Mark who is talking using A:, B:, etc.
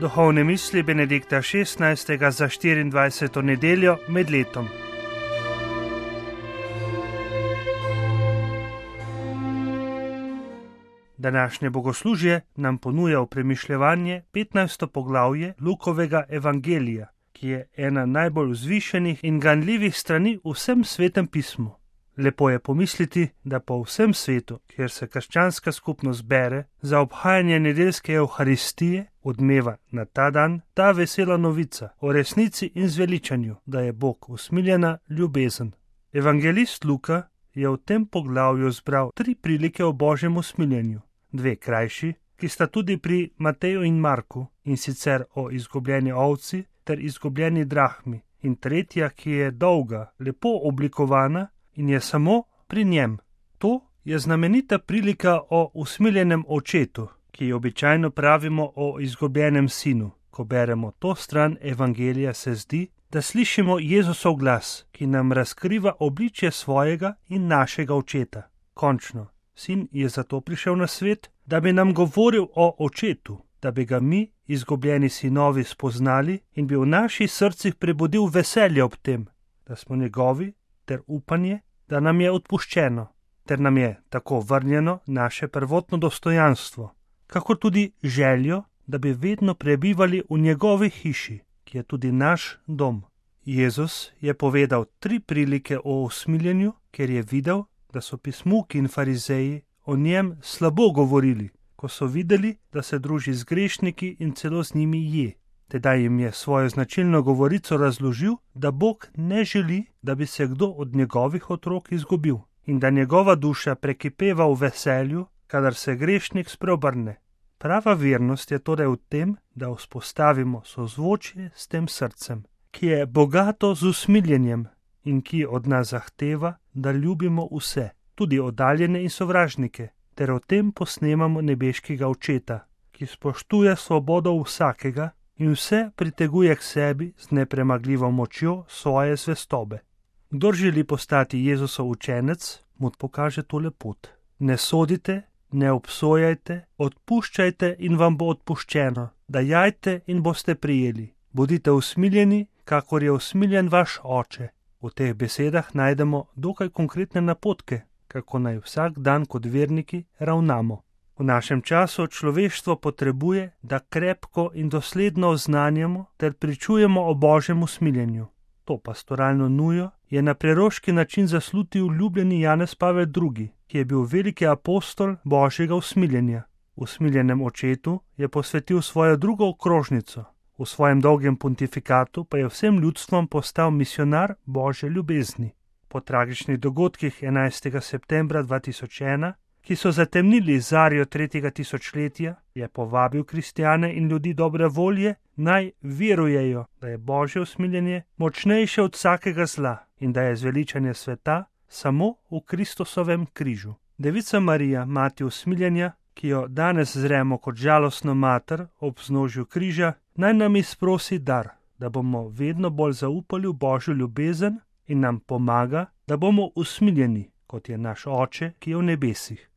A: Duhovne misli Benedikta XVI. Za 24. nedeljo med letom. Današnje bogoslužje nam ponuja v premišljevanje 15. poglavje Lukovega evangelija, ki je ena najbolj vzvišenih in ganljivih strani v vsem svetem pismu. Lepo je pomisliti, da po vsem svetu, kjer se krščanska skupnost bere za obhajanje nedeljske evharistije, odmeva na ta dan ta vesela novica o resnici in zveličanju, da je Bog usmiljena ljubezen. Evangelist Luka je v tem poglavju zbral 3 prilike o Božjem usmiljenju, 2 krajši, ki sta tudi pri Mateju in Marku, in sicer o izgubljeni ovci ter izgubljeni drahmi, in tretja, ki je dolga, lepo oblikovana in je samo pri njem. To je znamenita prilika o usmiljenem očetu, ki običajno pravimo o izgubljenem sinu. Ko beremo to stran evangelija, se zdi, da slišimo Jezusov glas, ki nam razkriva obličje svojega in našega očeta. Končno, sin je zato prišel na svet, da bi nam govoril o očetu, da bi ga mi, izgubljeni sinovi, spoznali in bi v naših srcih prebudil veselje ob tem, da smo njegovi, ter upanje, da nam je odpuščeno, ter nam je tako vrnjeno naše prvotno dostojanstvo, kakor tudi željo, da bi vedno prebivali v njegovi hiši, ki je tudi naš dom. Jezus je povedal 3 prilike o usmiljenju, ker je videl, da so pismuki in farizeji o njem slabo govorili, ko so videli, da se druži z grešniki in celo z njimi je. Tedaj jim je svojo značilno govorico razložil, da Bog ne želi, da bi se kdo od njegovih otrok izgubil in da njegova duša prekipeva v veselju, kadar se grešnik spreobrne. Prava vernost je torej v tem, da vzpostavimo sozvočje s tem srcem, ki je bogato z usmiljenjem in ki od nas zahteva, da ljubimo vse, tudi oddaljene in sovražnike, ter o tem posnemamo nebeškega očeta, ki spoštuje svobodo vsakega in vse priteguje k sebi z nepremagljivo močjo svoje zvestobe. Kdor želi postati Jezusov učenec, mu pokaže tole pot. Ne sodite, ne obsojajte, odpuščajte in vam bo odpuščeno, dajajte in boste prijeli. Bodite usmiljeni, kakor je usmiljen vaš oče. V teh besedah najdemo dokaj konkretne napotke, kako naj vsak dan kot verniki ravnamo. V našem času človeštvo potrebuje, da krepko in dosledno oznanjamo ter pričujemo o Božjem usmiljenju. To pastoralno nujo je na preroški način zaslutil ljubljeni Janez Pavel II., ki je bil veliki apostol Božjega usmiljenja. Usmiljenem očetu je posvetil svojo drugo okrožnico. V svojem dolgem pontifikatu pa je vsem ljudstvom postal misionar Božje ljubezni. Po tragičnih dogodkih 11. septembra 2001, ki so zatemnili zarjo 3. tisočletja, je povabil kristjane in ljudi dobre volje, naj verujejo, da je Božje usmiljenje močnejše od vsakega zla in da je zveličanje sveta samo v Kristusovem križu. Devica Marija, mati usmiljenja, ki jo danes zremo kot žalostno mater ob vznožju križa, naj nam izprosi dar, da bomo vedno bolj zaupali v Božjo ljubezen in nam pomaga, da bomo usmiljeni, kot je naš Oče, ki je v nebesih.